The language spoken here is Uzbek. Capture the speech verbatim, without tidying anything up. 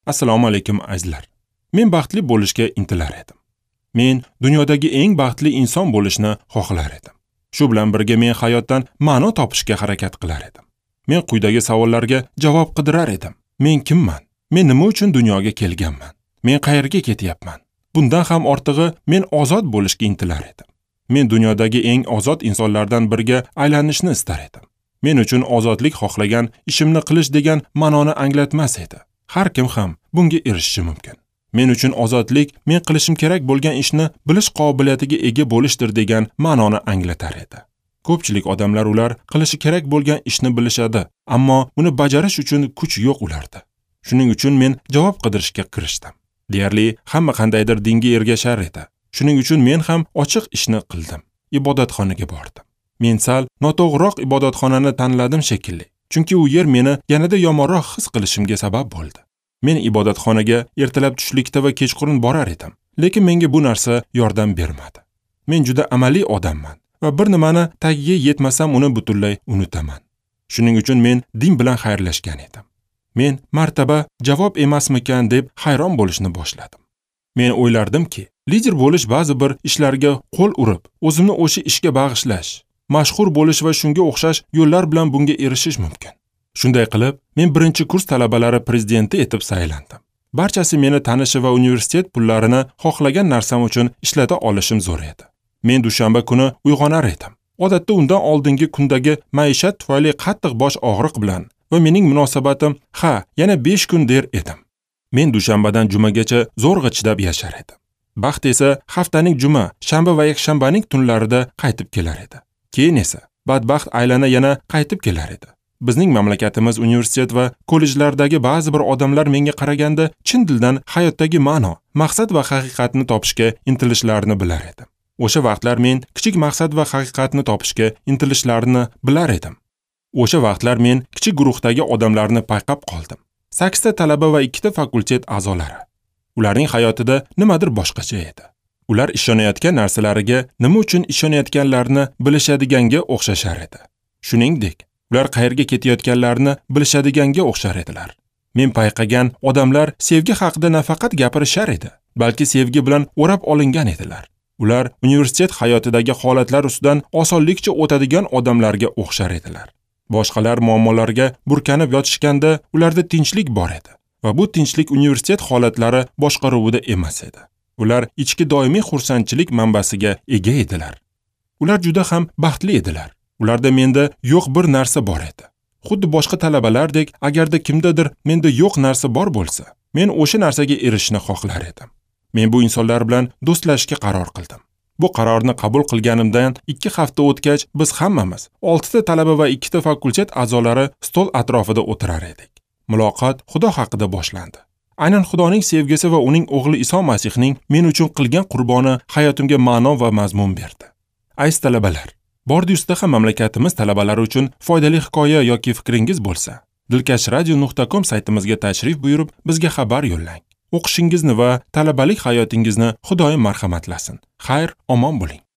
Assalomu alaykum azizlar. Men baxtli bo'lishga intilar edim. Men dunyodagi eng baxtli inson bo'lishni xohlar edim. Shu bilan birga men hayotdan ma'no topishga harakat qilar edim. Men quyidagi savollarga javob qidirar edim. Men kimman? Men nima uchun dunyoga kelganman? Men qayerga ketyapman? Bundan ham ortig'i, men ozod bo'lishga intilar edim. Men dunyodagi eng ozod insonlardan biriga aylanishni istar edim. Men uchun ozodlik xohlagan ishimni qilish degan ma'noni anglatmas edi. Har kim ham bunga erishishi mumkin. Men uchun ozodlik men qilishim kerak bo'lgan ishni bilish qobiliyatiga ega bo'lishdir degan ma'noni anglatar edi. Ko'pchilik odamlar ular qilishi kerak bo'lgan ishni bilishadi, ammo uni bajarish uchun kuch yo'q ularda. Shuning uchun men javob qidirishga kirishdim. Deyarli hamma qandaydir dinga ergashar edi. Shuning uchun men ham ochiq ishni qildim. Ibodatxonaga bordim. Men sal noto'g'riroq ibodatxonani tanladim shekilli. Chunki u yer meni yanada yomonroq his qilishimga sabab bo'ldi. Men ibodatxonaga ertalab tushlikda va kechqurun borar edim, lekin menga bu narsa yordam bermadi. Men juda amaliy odamman va bir nimani tagiga yetmasam uni butunlay unutaman. Shuning uchun men din bilan xayrlashgan edim. Men martaba javob emasmikan deb hayron bo'lishni boshladim. Men o'ylardimki, lider bo'lish ba'zi bir ishlarga qo'l urib, o'zimni o'sha ishga bag'ishlash, mashhur bo'lish va shunga o'xshash yo'llar bilan bunga erishish mumkin. Shunday qilib, men birinchi kurs talabalari prezidenti etib saylandim. Barchasi meni tanishi va universitet pullarini xohlagan narsam uchun ishlata olishim zo'r edi. Men dushanba kuni uyg'onar edim. Odatda undan oldingi kundagi maishat tufayli qattiq bosh og'riq bilan va mening munosabatim ha, yana besh kun der edim. Men dushanbadan jumagacha zo'rg'a chidab yashar edim. Baxt esa haftaning juma, shanba va yakshanbaning tunlarida qaytib kelar edi. Keyin esa badbaxt aylana yana qaytib kelar edi. Bizning mamlakatimiz universitet va kollejlardagi ba'zi bir odamlar menga qaraganda chin dildan hayotdagi ma'no, maqsad va haqiqatni topishga intilishlarini bilar edim. O'sha vaqtlar men kichik maqsad va haqiqatni topishga intilishlarini bilar edim. O'sha vaqtlar men kichik guruhdagi odamlarni payqab qoldim. Sakkizta talaba va ikkita fakultet a'zolari. Ularning hayotida nimadir boshqacha edi. Ular ishonayotgan narsalariga nima uchun ishonayotganlarini bilishadiganga o'xshashar edi. Shuningdek, ular qayerga ketayotganlarini bilishadiganga o'xshar edilar. Men payqagan odamlar sevgi haqida nafaqat gapirishar edi, balki sevgi bilan o'rab olingan edilar. Ular universitet hayotidagi holatlar ustidan osonlikcha o'tadigan odamlarga o'xshar edilar. Boshqalar muammolarga burkanib yotishganda ularda tinchlik bor edi va bu tinchlik universitet holatlari boshqaruvida emas edi. Ular ichki doimiy xursandchilik manbasiga ega edilar. Ular juda ham baxtli edilar. Ularda menda yo'q bir narsa bor edi. Xuddi boshqa talabalardek, agarda kimdadir menda yo'q narsa bor bo'lsa, men o'sha narsaga erishishni xohlar edim. Men bu insonlar bilan do'stlashishga qaror qildim. Bu qarorni qabul qilganimdan ikki hafta o'tgach, biz hammamiz oltita talaba va ikkita fakultet a'zolari stol atrofida o'tirar edik. Muloqot Xudo haqida boshlandi. Aynan Xudoning sevgisi va uning o'g'li Iso Masihning men uchun qilgan qurboni hayotimga ma'no va mazmun berdi. Aziz talabalar, bordi-ustida ham mamlakatimiz talabalari uchun foydali hikoya yoki fikringiz bo'lsa, dilkash radio nuqta com saytimizga tashrif buyurib, bizga xabar yo'llang. O'qishingizni va talabalik hayotingizni Xudoyim marhamatlasin. Xayr, omon bo'ling.